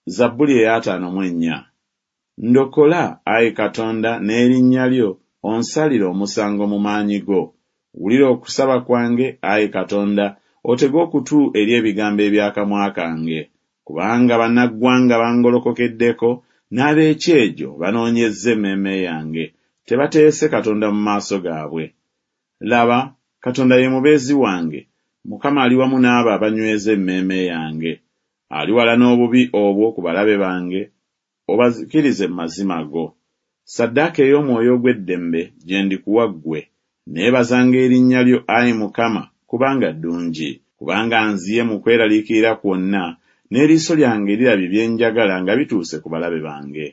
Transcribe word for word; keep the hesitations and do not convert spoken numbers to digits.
Zabbuli ey'ataano mu ennya. Ndokola, ayi Katonda, n'erinnya lyo, onsalire omusango mu maanyi go. Wulira okusaba kwange, ayi Katonda, otege okutu eri ebigambo eby'akamwa kange. Kubanga bannaggwanga bangolokokeddeko, n'ab'ekyejo banoonyezza emmeeme yange, tebateese Katonda mu maaso gaabwe. Laba, Katonda ye mubeezi wange, Mukama ali wamu n'abo abanyweza emmeeme yange. Aliwala n'obubi obwo ku balabe bange, obazikirize mu mazima go. Ssaddaaka ey'omwoyo ogw'eddembe gye ndikuwa ggwe, neebazanga erinnya lyo, ayi Mukama, kubanga ddungi. Kubanga nziye mu kweraliikirira kwonna, n'eriiso lyange lirabye bye njagala nga bituuse ku balabe bange.